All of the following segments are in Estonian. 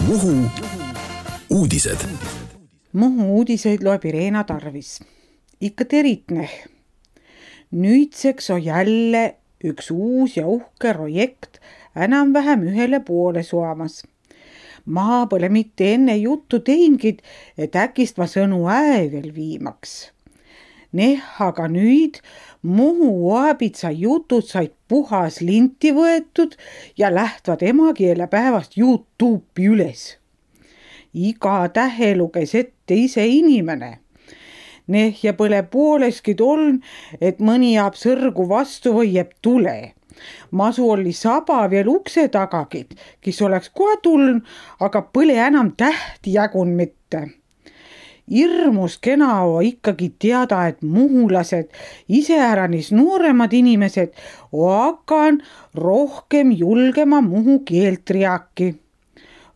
Muhu uudised. Muhu uudiseid loeb Irena Tarvis. Ikka teritne. Nüüdseks on jälle üks uus ja uhke projekt enam-vähem ühele poole suamas. Ma pole mitte enne juttu teingid, et äkist ma sõnu veel viimaks. Aga nüüd Muhu Aabitsa jutud said puhas linti võetud ja lähtvad emakeele päevast YouTube'i üles. Iga tähe luges ette ise inimene. Ja pole pooleski toln, et mõni jääb sõrgu vastu või jääb tule. Masu oli saba veel ukse tagagid, kes oleks kohe tulnud, aga pole enam tähti jagun mitte. Irmus kena on ikkagi teada, et muhulased, iseäranis nooremad inimesed, hakan rohkem julgema muhu keelt riaki.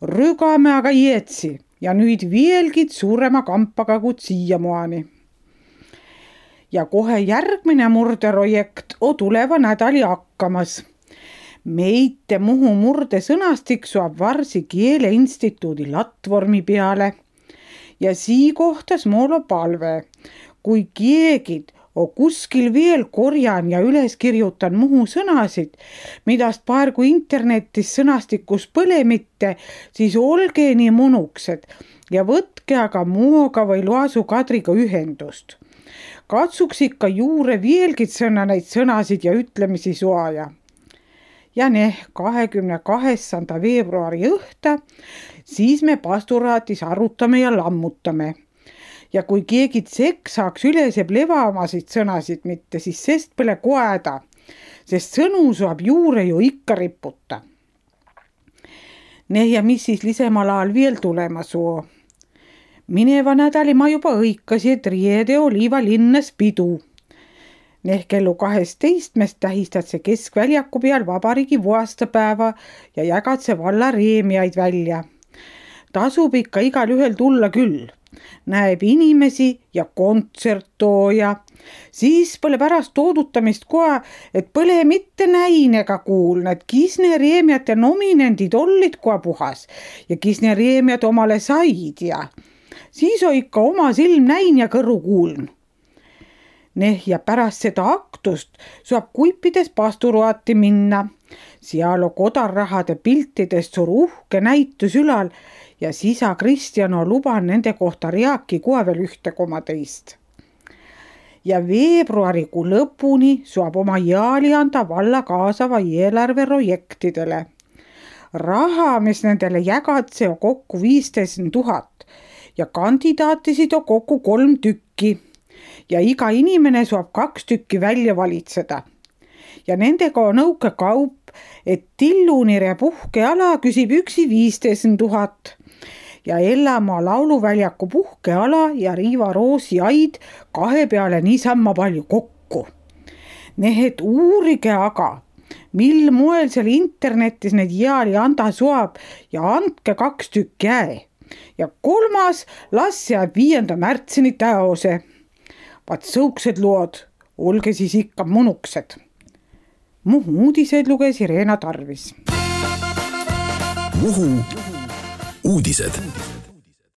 Rügame aga jätsi ja nüüd veelgi suurema kampaga kui siiamaani. Ja kohe järgmine murderojekt on tuleva nädali hakkamas. Meite Muhu murde sõnastik saab varsi Keeleinstituudi latvormi peale. Ja sii kohtas moolo palve, kui keegid on kuskil veel korjan ja üles kirjutan Muhu sõnasid, midast praegu internetis sõnastikus põle mitte, siis olge nii munuksed ja võtke aga Muoga või Loasu Kadriga ühendust. Katsuks ikka juure veelgi sõna neid sõnasid ja ütlemisi soaja. Ja 28. veebruari õhta, siis me pasturaatis arutame ja lammutame. Ja kui keegi tsekk saaks üleseb levamasid sõnasid mitte, siis sest pole koeda, sest sõnu saab juure ju ikka riputa. Ja mis siis lisemal ajal veel tulema soo? Mineva nädali ma juba õikasi, et riede Oliiva linnas pidu. Kellu 12 tähistad see Keskväljaku peal vabariigi vuastapäeva ja jagad see valla reemiaid välja. Tasub ikka igal ühel tulla küll. Näeb inimesi ja kontsertooja. Siis pole pärast toodutamist kohe, et pole mitte näin ega kuulna, et kisne reemiate nominendid ollid kohe puhas ja kisne reemiat omale said ja siis on ikka oma silm näin ja kõrru kuuln. Ja pärast seda aktust saab kuipides pasturuati minna. Seal on kodarrahade piltidest suur uhke näitus ülal ja sisa Kristjan on luban nende kohta reaki kohe veel 1,2. Ja veebruarikuu lõpuni saab oma jaali anda valla kaasava eelarve projektidele. Raha, mis nendele jagatse, on kokku 15 000 ja kandidaatisid on kokku 3 tükki. Ja iga inimene saab 2 tükki välja valitseda. Ja nendega on nõuke kaup, et Tillunire puhkeala küsib üksi 15 000. Ja Ellamaa lauluväljaku puhkeala ja Riiva Roosi aid 2 peale niisamma palju kokku. Et uurige aga, mil moel seal internetis need jaali anda saab ja andke 2 tükki äe. Ja 3. las jääb 5. märtsini täose. Vaat sõuksed lood, olge siis ikka munuksed. Muhu uudised luges Irena Tarvis. Muhu uudised.